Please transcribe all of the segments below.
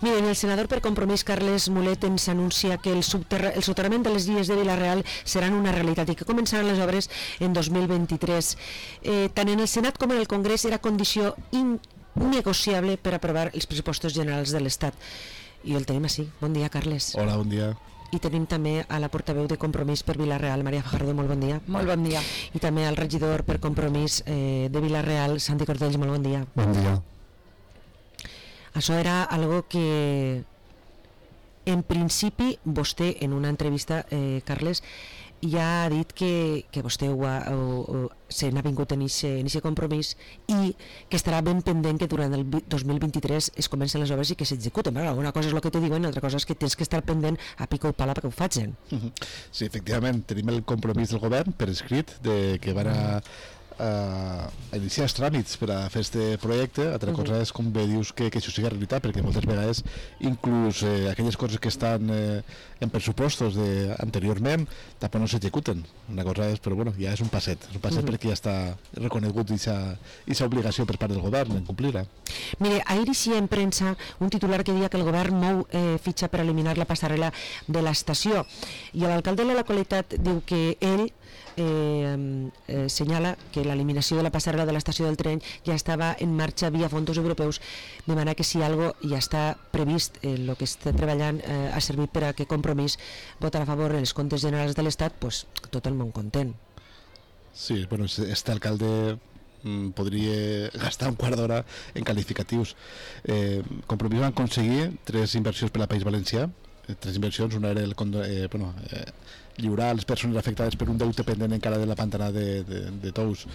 Miren, el senador per Compromís, Carles Mulet, ens anuncia que el soterrament de les vies de Vila-real seran una realitat i que començaran les obres en 2023. Tant en el Senat com en el Congrés era condició innegociable per aprovar els pressupostos generals de l'Estat. I el tenim així. Bon dia, Carles. Hola, bon dia. I tenim també a la portaveu de Compromís per Vila-real, Maria Fajardo, molt bon dia. Molt bon dia. I també al regidor per Compromís de Vila-real, Santi Cortells, molt bon dia. Bon dia. Això era algo que en principi vostè en una entrevista, Carles, ja ha dit que vostè se n'ha vingut en aquest compromís i que estarà ben pendent que durant el 2023 es comencen les obres i que s'executen. Una cosa és el que te diuen, l'altra cosa és que tens que estar pendent a pico i pala perquè ho facin. Sí, efectivament, tenim el compromís del govern per escrit de que van a iniciar els tràmits per a fer este projecte. Altra cosa és, com bé dius, que això sigui realitat, perquè moltes vegades inclús aquelles coses que estan en pressupostos anteriorment tampoc no s'executen. Una cosa és, però bueno, ja és un passet perquè ja està reconegut aquesta obligació per part del govern en complir-la. Mire, ahir hi en premsa un titular que deia que el govern mou fitxa per eliminar la passarel·la de l'estació, i l'alcalde de la localitat diu que ell senyala que l'eliminació de la passarel·la de l'estació del tren ja estava en marxa via fons europeus, de manera que si algo ja està previst, el que està treballant ha servit per a que Compromís votarà a favor en els comptes generals de l'Estat, pues tot el món content. Sí, bueno, este alcalde podria gastar un quart d'hora en qualificatius. Compromís van aconseguir 3 inversions per al País Valencià. 3 inversions, una era lliurar les persones afectades per un deute pendent encara de la pantana de Tous.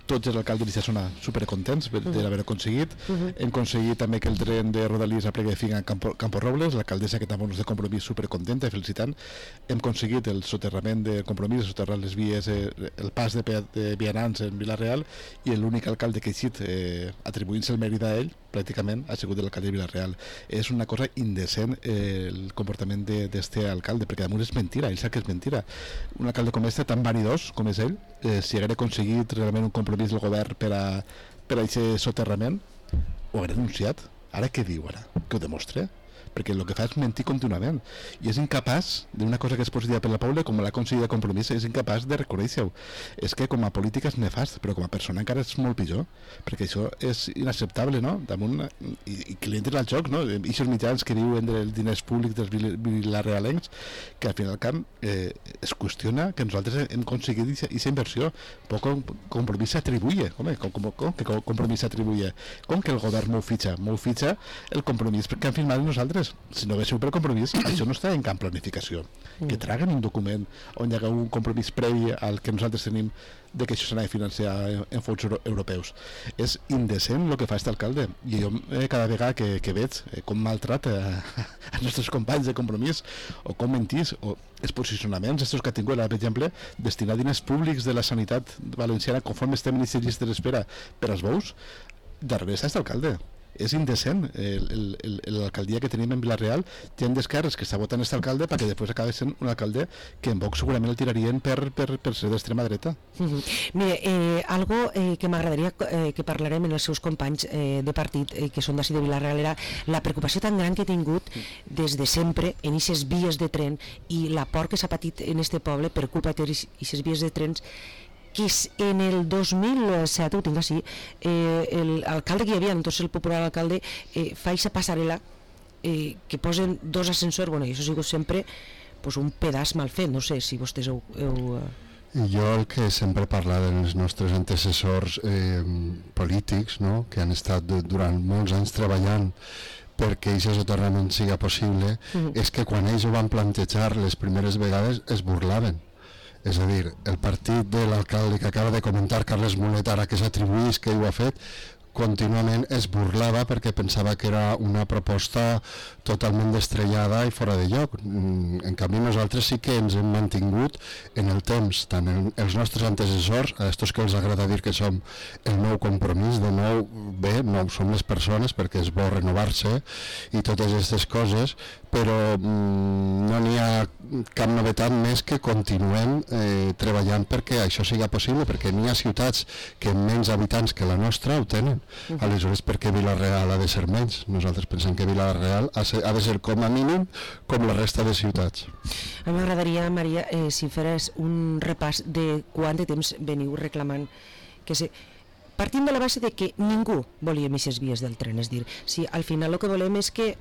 Tots els alcaldes d'aquesta zona supercontents d'haver aconseguit. Hem aconseguit també que el tren de Rodalies aplegui fin a Campo Robles, l'alcaldessa que també és de Compromís supercontenta i felicitant. Hem aconseguit el soterrament de Compromís, soterrar les vies, el pas de vianants en Vila-real, i l'únic alcalde que ha eixit atribuint-se el mèrit a ell pràcticament ha sigut l'alcalde de Vila-real. És una cosa indecent el comportament d'este alcalde, perquè damunt és mentira, ell sap que és mentira. Un alcalde com este, tan vanidós com és ell, si haguera aconseguit realment un compromís del govern per a aquest soterrament, ho haguera denunciat. Ara què diu ara? Que ho demostre? Perquè el que fa és mentir contínuament i és incapaç d'una cosa que és positiva per la Paula, com l'ha aconseguit a Compromís, és incapaç de reconèixer-ho. És que com a política és nefast, però com a persona encara és molt pitjor, perquè això és inacceptable, no? Damunt, i que li entren al joc, no? Ixos mitjans que diuen dels diners públics dels vilarealencs, que al final camp es qüestiona que nosaltres hem aconseguit aquesta inversió. Poc Compromís s'atribuye, home, com que Compromís s'atribuye? Com que el govern mou fitxa el Compromís que han firmat nosaltres? Si no haguéssiu per Compromís, això no està en cap planificació. Que traguen un document on hi ha un compromís previ al que nosaltres tenim de que això s'ha de financiar en fons europeus. És indecent el que fa aquest alcalde, i jo cada vegada que veig com maltrata els nostres companys de Compromís, o com mentís, o els posicionaments estos que ha tingut, per exemple, destinar diners públics de la sanitat valenciana conforme estem en aquestes llistes d'espera per als bous, darrere està aquest alcalde. És indecent l'alcaldia que tenim en Vila-real. Gent d'esquerres que està votant aquest alcalde perquè després acaba sent un alcalde que en Vox segurament el tirarien per ser d'extrema dreta. Mire, algo que m'agradaria que parlarem en els seus companys de partit que són d'ací de Vila-real era la preocupació tan gran que he tingut des de sempre en aquestes vies de tren i la por que s'ha patit en este poble per culpa d'aquestes vies de trens, que en el 2007, ho tinc així, l'alcalde que hi havia, entonces el popular alcalde, fa aquesta passarel·la que posen 2 ascensors, bueno, i això ha sigut sempre un pedaç mal fet, no sé si vostès heu... Jo el que sempre parla dels nostres antecessors polítics, no?, que han estat durant molts anys treballant perquè aquest soterrament siga possible, és que quan ells ho van plantejar les primeres vegades es burlaven. És a dir, el partit de l'alcalde que acaba de comentar, Carles Mulet, ara que s'atribuís que ho ha fet, contínuament es burlava perquè pensava que era una proposta totalment estrellada i fora de lloc. En canvi nosaltres sí que ens hem mantingut en el temps, tant els nostres antecessors, a estos que els agrada dir que som el nou Compromís, de nou, bé, nou som les persones perquè és bo renovar-se i totes aquestes coses, però no n'hi ha cap novetat més que continuem treballant perquè això siga possible, perquè n'hi ha ciutats que amb menys habitants que la nostra ho tenen. Aleshores, per què Vila-real ha de ser menys? Nosaltres pensem que Vila-real ha de ser com a mínim com la resta de ciutats. A mi m'agradaria, Maria, si feres un repàs de quant de temps veniu reclamant que partint de la base de que ningú volia aquestes vies del tren, és dir, si al final el que volem és que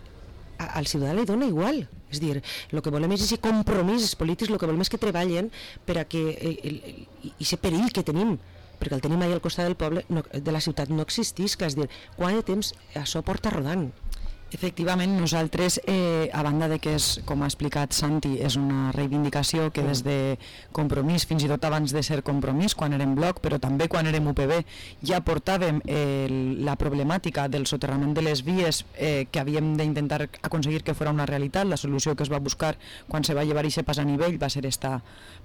al ciutadà li dona igual, és dir, el que volem és aquest compromís polítics, el que volem és que treballen per a que aquest perill que tenim, perquè el tenim allà al costat del poble, de la ciutat, no existisca, és dir, quant de temps això porta rodant? Efectivament, nosaltres, a banda de que, com ha explicat Santi, és una reivindicació que des de Compromís, fins i tot abans de ser Compromís, quan érem bloc, però també quan érem UPB, ja portàvem la problemàtica del soterrament de les vies que havíem d'intentar aconseguir que fos una realitat. La solució que es va buscar quan se va llevar aquest pas a nivell va ser esta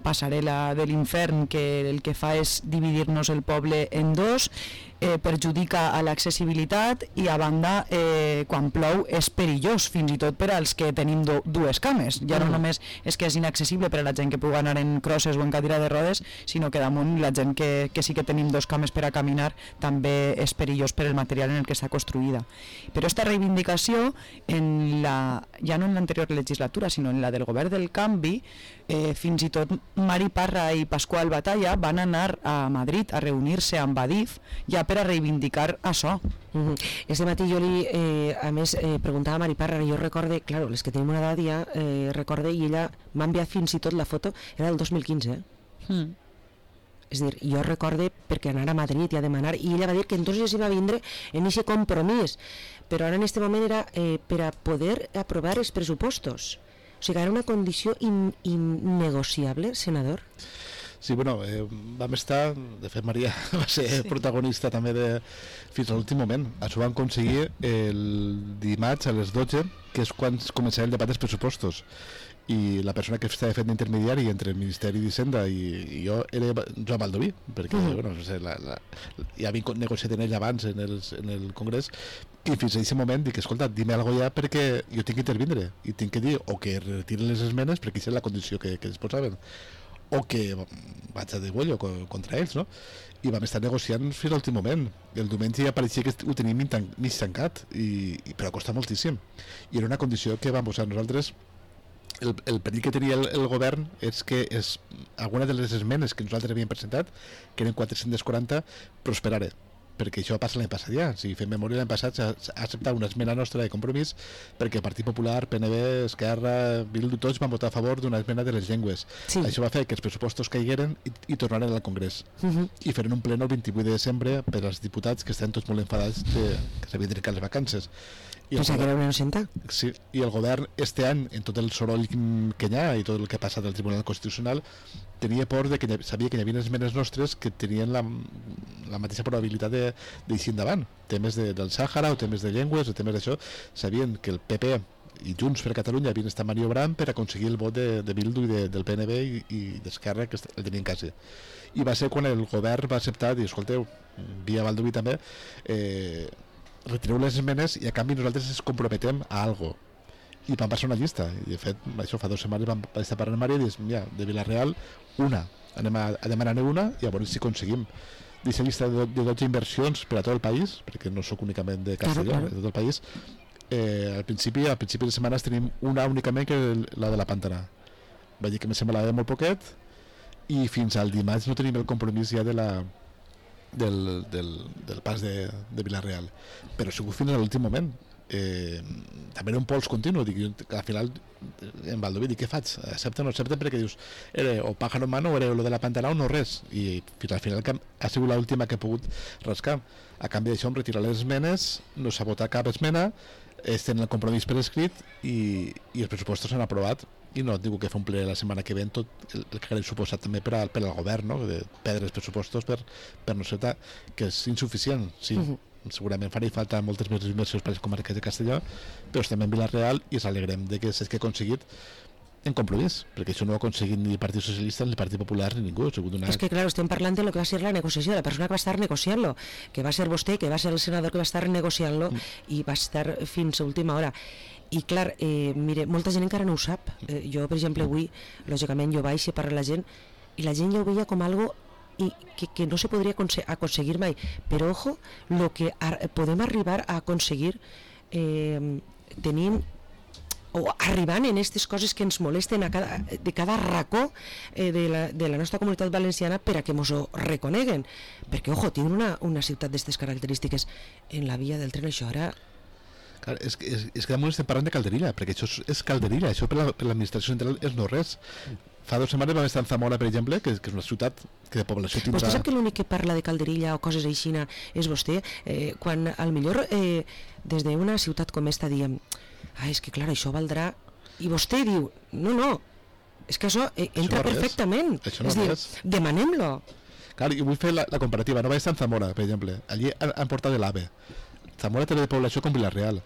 passarel·la de l'infern, que el que fa és dividir-nos el poble en dos, perjudica a l'accessibilitat i a banda quan plou és perillós fins i tot per als que tenim dues cames, ja no només és que és inaccessible per a la gent que pugui anar en crosses o en cadira de rodes, sinó que damunt la gent que sí que tenim dos cames per a caminar també és perillós per el material en el que està construïda. Però aquesta reivindicació ja no en l'anterior legislatura sinó en la del govern del canvi, fins i tot Mari Parra i Pasqual Batalla van anar a Madrid a reunir-se amb Adif ja per a reivindicar això. Este matí jo a més preguntava a Mari Parra, jo recorde, claro, les que tenim una edat ja recorde, i ella m'ha enviat fins i tot la foto, era del 2015 és dir, jo recorde perquè anar a Madrid i a demanar, i ella va dir que entonces hi va vindre en aquest compromís, però ara en este moment era per a poder aprovar els pressupostos, o sigui, era una condició innegociable, senador. Sí, bueno, vam estar, de fet Maria va ser protagonista també fins a l'últim moment. Això vam aconseguir el dimarts a les 12, que és quan començarà el debat dels pressupostos, i la persona que estava fent d'intermediari entre el Ministeri d'Hisenda i jo era Joan Baldoví, perquè bueno, no sé, ja havia negociat en ell abans en el Congrés, i fins a aquest moment dic, escolta, dime alguna cosa ja perquè jo tinc que intervindre i tinc que dir o que retiren les esmenes perquè aquesta és la condició que es posaven, o que vaig a de bollo contra ells, no? I vam estar negociant fins a l'últim moment. El diumenge ja pareixia que ho tenim mig tancat, però costa moltíssim. I era una condició que vam posar nosaltres. El perill que tenia el govern és que alguna de les esmenes que nosaltres havíem presentat, que eren 440, prosperara, perquè això passa l'any passat ja. Si fem memòria, l'any passat s'ha acceptat una esmena nostra de Compromís perquè el Partit Popular, PNB, Esquerra, Bildu, tots van votar a favor d'una esmena de les llengües. Sí. Això va fer que els pressupostos caigueren i tornaren al Congrés. I feren un pleno el 28 de desembre per als diputats que estan tots molt enfadats que s'havien trencat les vacances. Pensava que era una innocenta. Sí, i el govern este any, en tot el soroll que hi ha i tot el que ha passat al Tribunal Constitucional, tenia por de que sabia que hi havia esmenes nostres que tenien la mateixa probabilitat d'eixir endavant. Temes del Sàhara o temes de llengües o temes d'això, sabien que el PP i Junts per Catalunya havien estat maniobrant per aconseguir el vot de Bildu i del PNB i d'Esquerra, que el tenien quasi. I va ser quan el govern va acceptar i dir, escolteu, via Baldoví també, retireu les esmenes i a canvi nosaltres ens comprometem a algo. I vam passar una llista, i de fet això fa 2 setmanes vam estar parlant amb Maria i dir, mira, de Vila-real una, anem a demanar-ne una i a veure si aconseguim d'aquesta llista de 12 inversions per a tot el país, perquè no sóc únicament de Castelló, de tot el país. Al principi de setmanes tenim una únicament, que és la de la Pantana. Vaig dir que me semblava molt poquet, i fins al dimarts no tenim el compromís ja del pas de Vila-real, però ha sigut fins a l'últim moment. També era un pols continu, dic, al final en Baldoví dic, què faig? Accepta o no accepta? Perquè dius, era o pájaro en mano o era lo de la Pantana o no res, i fins al final ha sigut l'última que he pogut rascar. A canvi d'això, em retirar les esmenes, no s'ha votat cap esmena, tenen el compromís per escrit i els pressupostos s'han aprovat, i no et dic que fa un ple la setmana que ve tot el que ha suposat també per al govern, no? De perdre els pressupostos per no ser que és insuficient, sí. Segurament faria falta moltes més inversions per les comarques de Castelló, però estem en Vila-real i ens alegrem de que s'hagi aconseguit en Compromís, perquè això no ho ha aconseguit ni el Partit Socialista, ni el Partit Popular, ni ningú. És que, clar, estem parlant de lo que va ser la negociació, de la persona que va estar negociant-lo, que va ser vostè, que va ser el senador que va estar negociant-lo i va estar fins a última hora. I clar, mire, molta gent encara no ho sap. Jo, per exemple, avui, lògicament, jo baixo per la gent i la gent ja ho veia com algo i que no se podria aconseguir mai, però ojo, el que podem arribar a aconseguir tenint o arribant en aquestes coses que ens molesten de cada racó de la nostra comunitat valenciana per a que ens ho reconeguen, perquè ojo, tenen una ciutat d'aquestes característiques en la via del tren. Això ara clar, és que damunt estem parlant de Calderilla, perquè això és Calderilla, això per l'administració central és no res. Fa 2 setmanes vam estar en Zamora, per exemple, que és una ciutat que de població tindrà... Vostè sap que l'únic que parla de Calderilla o coses així és vostè, quan al millor des d'una ciutat com esta diem és que clar, això valdrà, i vostè diu no, és que això entra perfectament, això no és dir, demanem-lo. Clar, jo vull fer la comparativa, no vaig estar en Zamora, per exemple, allí han portat l'AVE. Zamora té de població com Vila-real,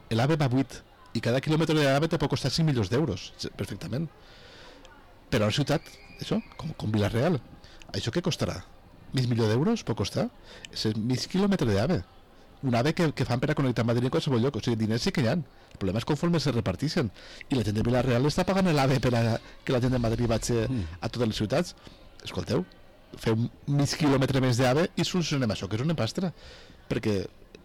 l'AVE va 8 i cada quilòmetre de l'AVE te pot costar 5 milions d'euros, perfectament, però a una ciutat, això, com Vila-real, això què costarà? Mig milió d'euros pot costar? És mig quilòmetre d'AVE, un AVE que fan per a connectar Madrid en qualsevol lloc, o sigui, diners sí que hi ha. El problema és conforme se repartixen, i la gent de Vila-real està pagant l'AVE per a que la gent de Madrid vagi a totes les ciutats. Escolteu, feu mig quilòmetre més d'AVE i solucionem això, que és una pastra, perquè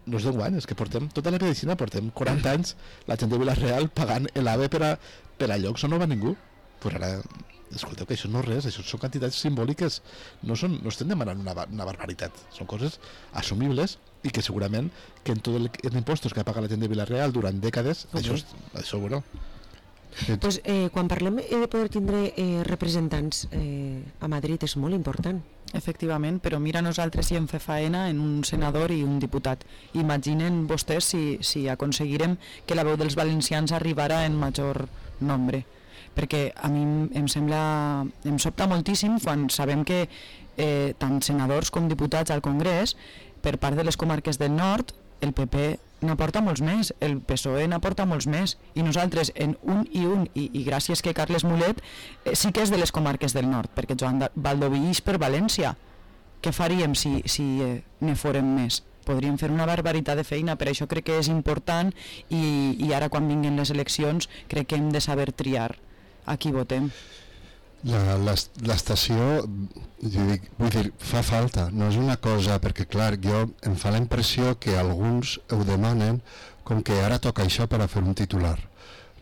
no és d'enguany, és que portem tota la medicina, portem 40 anys la gent de Vila-real pagant l'AVE per a llocs on no va ningú. Pues ara, escolteu, que això no és res, això són quantitats simbòliques, no estem demanant una barbaritat, són coses assumibles i que segurament que en tots els impostos que ha pagat la gent de Vila-real durant dècades, això bueno. Pues, quan parlem de poder tindre representants a Madrid és molt important. Efectivament, però mira, nosaltres hi hem fet faena en un senador i un diputat. Imaginen vostès si aconseguirem que la veu dels valencians arribara en major nombre, perquè a mi em sobta moltíssim quan sabem que tant senadors com diputats al Congrés, per part de les comarques del nord, el PP n'aporta molts més, el PSOE n'aporta molts més, i nosaltres en i gràcies que Carles Mulet sí que és de les comarques del nord, perquè Joan Baldoví és per València. Què faríem si ne fórem més? Podríem fer una barbaritat de feina, per això crec que és important i ara quan vinguin les eleccions crec que hem de saber triar a qui votem. L'estació, vull dir, fa falta, no és una cosa, perquè clar, em fa la impressió que alguns ho demanen com que ara toca això per a fer un titular.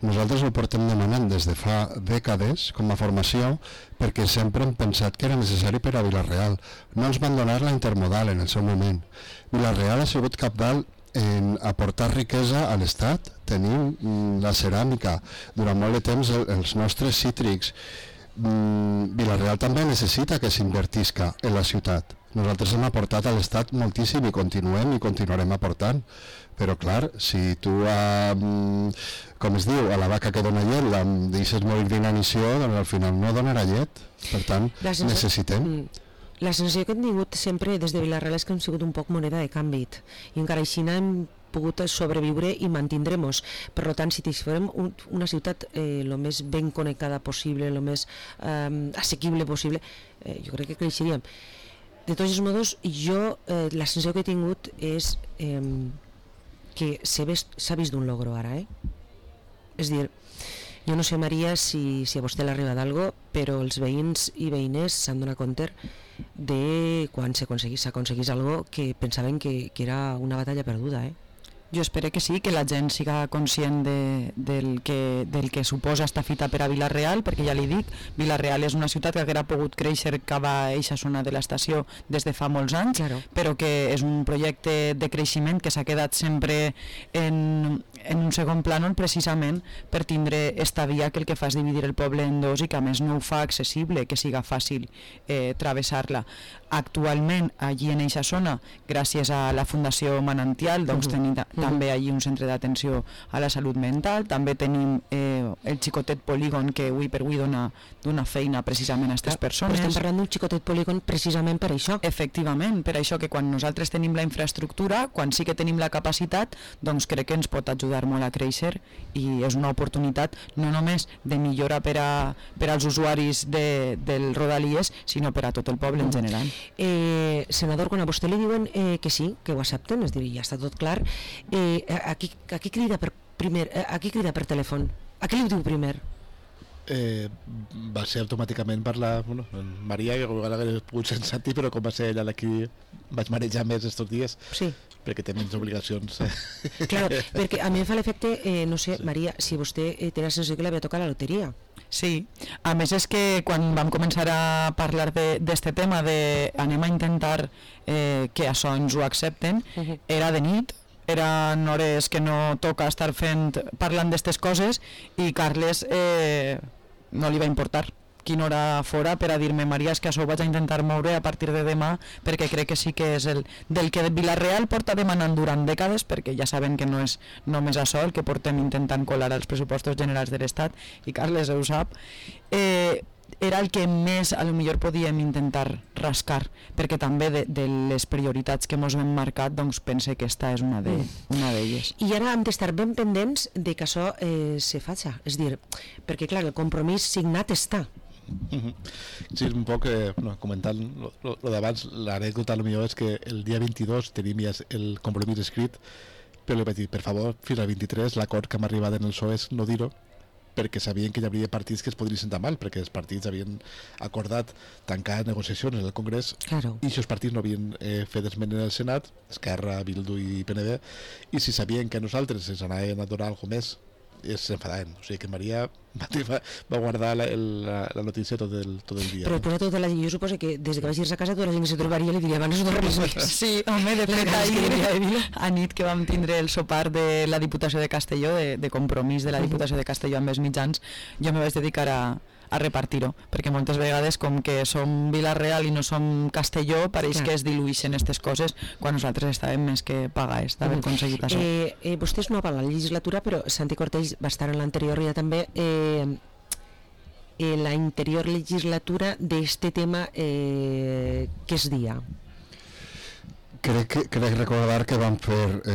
Nosaltres ho portem demanant des de fa dècades com a formació perquè sempre hem pensat que era necessari per a Vila-real. No ens van donar la intermodal en el seu moment. Vila-real ha sigut cabdal en aportar riquesa a l'Estat. Tenim la ceràmica, durant molt de temps els nostres cítrics. Vila-real també necessita que s'invertisca en la ciutat. Nosaltres hem aportat a l'Estat moltíssim i continuarem aportant, però clar, si tu com es diu, a la vaca que dona llet la deixes morir d'inanició, doncs al final no donarà llet, per tant necessitem. La sensació que hem tingut sempre des de Vila-real és que hem sigut un poc moneda de canvi i encara així hem pogut sobreviure i mantindrem-nos. Per tant, si fórem una ciutat el més ben connectada possible, el més assequible possible, jo crec que creixeríem. De tots els modos, jo la sensació que he tingut és que s'ha vist d'un logro ara, és dir, jo no sé, Maria, si a vostè l'ha arribat algo, però els veïns i veïnes s'han donat compte de quan s'aconseguís algo que pensaven que era una batalla perduda, Jo espero que sí, que la gent siga conscient del que suposa esta fita per a Vila-real, perquè ja li dic, Vila-real és una ciutat que haguera pogut créixer cap a eixa zona de l'estació des de fa molts anys, claro, però que és un projecte de creixement que s'ha quedat sempre en un segon plànol precisament per tindre esta via que el que fa és dividir el poble en dos i que a més no ho fa accessible, que siga fàcil travessar-la. Actualment, allí en eixa zona, gràcies a la Fundació Manantial, doncs tenim també allí un centre d'atenció a la salut mental, també tenim el xicotet polígon que avui per avui dona feina precisament a aquestes persones. Però estem parlant d'un xicotet polígon precisament per això. Efectivament, per això que quan nosaltres tenim la infraestructura, quan sí que tenim la capacitat, doncs crec que ens pot ajudar molt a créixer i és una oportunitat no només de millora per als usuaris del Rodalies, sinó per a tot el poble en general. Senador, quan a vostè li diuen que sí, que ho accepten, és dir, ja està tot clar, a qui crida per telèfon? A qui li diu primer? va ser automàticament per la Maria, que igual hauria pogut ser en Santi, però com va ser ella la qui vaig marejar més estos dies, sí, perquè té menys obligacions. Claro, perquè a mi em fa l'efecte, no sé, Maria, si vostè té la sensació que li havia tocat la loteria. Sí, a més és que quan vam començar a parlar d'este tema de anem a intentar que això ens ho accepten, era de nit, eren hores que no toca estar parlant d'estes coses, i Carles no li va importar quina hora fora per a dir-me, Maria, és que això ho vaig a intentar moure a partir de demà, perquè crec que sí que és del que Vila-real porta demanant durant dècades, perquè ja saben que no és només això el que portem intentant colar als pressupostos generals de l'Estat, i Carles ho sap. Era el que més a lo millor podíem intentar rascar, perquè també de les prioritats que ens hem marcat, doncs pense que esta és una d'elles. I ara hem d'estar ben pendents de que això se faci, és dir, perquè clar, el compromís signat està. Sí, un poc comentant lo d'abans, l'anècdota potser és que el dia 22 tenim ja el compromís escrit, però li vaig dir, per favor, fins al 23 l'acord que hem arribat en el PSOE és no dir-ho, perquè sabien que hi hauria partits que es podrien sentar mal, perquè els partits havien acordat tancar negociacions en el Congrés, claro, i si els partits no havien fet esment en el Senat, Esquerra, Bildu i PNB, i si sabien que a nosaltres ens anaven a donar alguna més, s'enfadaven. O sigui que Maria va guardar la notícia tot el dia. Però després de tota jo suposo que des que vaig ir a casa tota la gent que se trobaria li diria abans no res més. Sí, home, de fet ahir a nit que vam tindre el sopar de la Diputació de Castelló, de compromís de la Diputació de Castelló amb els mitjans, jo me vaig dedicar a repartir-ho, perquè moltes vegades com que som Vila-real i no som Castelló, pareix que es diluïxen aquestes coses quan nosaltres estàvem més que pagats d'haver aconseguit això. Vostè és nova a la legislatura, però Santi Cortells va estar en l'anterior ja també la interior legislatura d'este tema que es dia. Crec recordar que van fer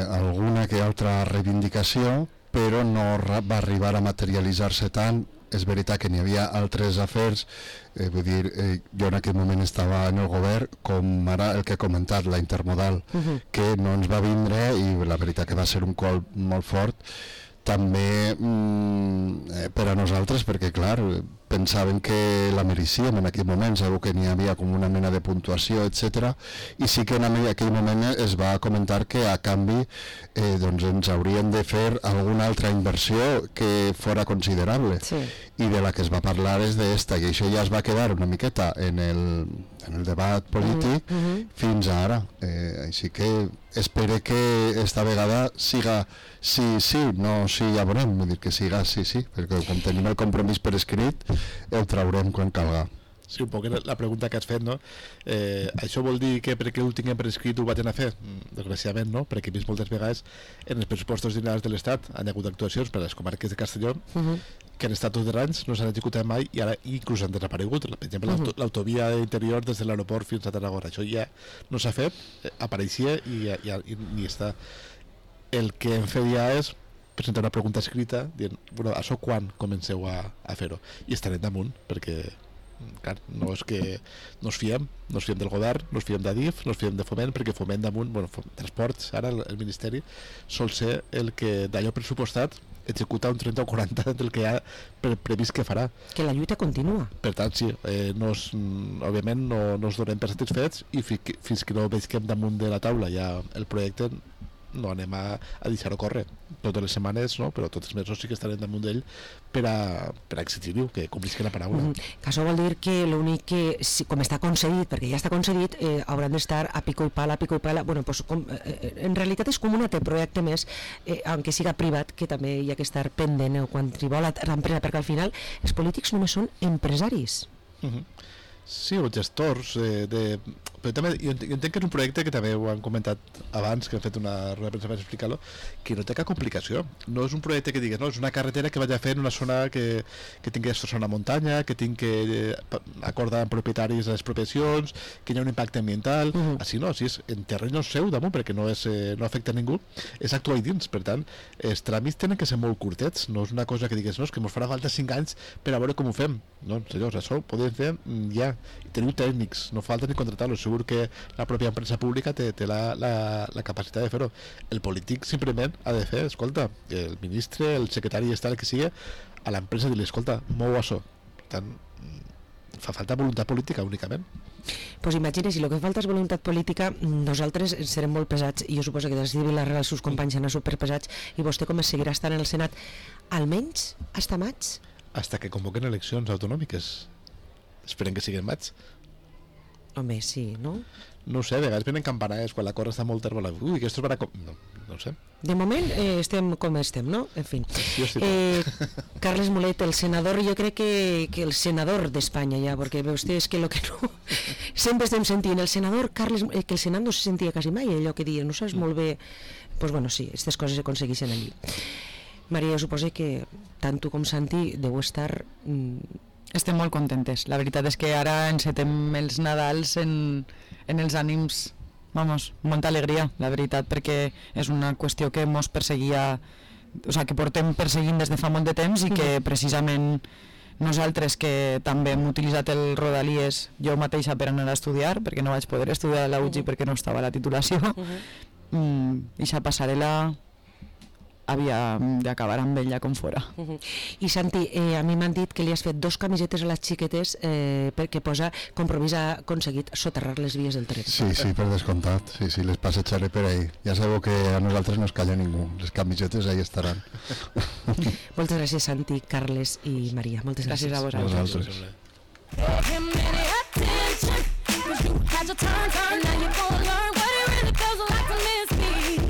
alguna que altra reivindicació, però no va arribar a materialitzar-se tant. És veritat que n'hi havia altres afers, vull dir, jo en aquell moment estava en el govern, com ara el que he comentat, la intermodal, que no ens va vindre, i la veritat que va ser un cop molt fort, també per a nosaltres, perquè clar, pensaven que la mereixíem en aquell moment, segur que n'hi havia com una mena de puntuació, etc. I sí que en aquell moment es va comentar que a canvi doncs ens haurien de fer alguna altra inversió que fora considerable, i de la que es va parlar és d'esta, i això ja es va quedar una miqueta en el debat polític fins a ara, així que espero que esta vegada siga sí, no sí, ja veurem, vull dir que siga sí, perquè com tenim el compromís per escrit el traurem quan calga. Sí, un poc la pregunta que has fet, no? Això vol dir que perquè ho tinguem per escrit ho vaig anar a fer? Desgraciadament no, perquè he vist moltes vegades en els pressupostos generals de l'Estat han hagut actuacions per a les comarques de Castelló que han estat tots els anys, no s'han executat mai i ara inclús han desaparegut. Per exemple, l'autovia interior des de l'aeroport fins a Tarragona, això ja no s'ha fet, apareixia i ni està. El que hem fet ja és presentar una pregunta escrita dient, bueno, això quan comenceu a fer-ho? I estarem damunt, perquè clar, no és que no ens fiem del govern, no ens fiem d'Adif, no ens fiem de Foment, perquè Foment damunt, transports, ara el Ministeri sol ser el que d'allò pressupostat executa un 30 o 40 del que ha previst que farà. Que la lluita continua. Per tant, sí, òbviament no ens donem per satisfets i fins que no veiem damunt de la taula ja el projecte no anem a deixar-ho córrer totes les setmanes, no? Però tots els mesos sí que estarem damunt d'ell per a exigir-ho, que complisqui la paraula. Que això vol dir que l'únic que, com està concedit, perquè ja està concedit, hauran d'estar a pico i pala, bueno, pues, en realitat és com un altre projecte més, aunque siga privat, que també hi ha que estar pendent quan triba l'empresa, perquè al final els polítics només són empresaris. Sí, o gestors però també jo entenc que és un projecte que també ho han comentat abans, que han fet una roda de premsa per explicar-lo, que no té cap complicació. No és un projecte que digues, no, és una carretera que vaig a fer en una zona que tingui zona muntanya, que tingui que acordar amb propietaris de les expropiacions, que hi ha un impacte ambiental. Així no, així és en terrenys seu damunt, perquè no afecta a ningú, és actuar dins. Per tant, els tràmits tenen que ser molt curtets, no és una cosa que digues, no, és que ens farà falta 5 anys per a veure com ho fem. No, senyors, això ho podem fer ja. Teniu tècnics, no falta ni contratar-los. Segur que la pròpia empresa pública té la capacitat de fer-ho. El polític simplement ha de fer, escolta, el ministre, el secretari i tal que sigui, a l'empresa i dir-li, escolta, mou això. Per tant, fa falta voluntat política únicament. Pues imagina, si el que falta és voluntat política, nosaltres serem molt pesats, i jo suposo que des de Vilarreal els seus companys seran superpesats, i vostè com seguirà estant en el Senat almenys hasta maig? Hasta que convoquen eleccions autonòmiques. Esperen que siguin maig. Home, sí, no? No ho sé, a vegades venen campanades quan la cosa està molt terbola. Ui, que esto es para... No ho sé. De moment estem com estem, no? En fi. Carles Mulet, el senador, jo crec que el senador d'Espanya ja, perquè ve vostè, és que lo que no... Sempre estem sentint el senador Carles... que el senat no se sentia quasi mai, allò que diuen, no saps molt bé... Pues bueno, sí, aquestes coses s'aconsegueixen allí. Maria, jo suposo que tant tu com Santi deu estar... Estem molt contentes. La veritat és que ara encetem els Nadals en els ànims, vamos, molta alegria, la veritat, perquè és una qüestió que mos perseguia, o sigui, que portem perseguint des de fa molt de temps i que precisament nosaltres, que també hem utilitzat el Rodalies, jo mateixa per anar a estudiar, perquè no vaig poder estudiar a la UGI perquè no estava a la titulació, eixa passarel·la havia d'acabar amb ella com fora. I Santi, a mi m'han dit que li has fet 2 camisetes a les xiquetes perquè posa compromís aconseguit soterrar les vies del tren. Sí, per descomptat. Sí, les passejaré per ahí. Ja sabeu que a nosaltres no es calla ningú. Les camisetes ahí estaran. Moltes gràcies, Santi, Carles i Maria. Moltes gràcies a vosaltres. Gràcies.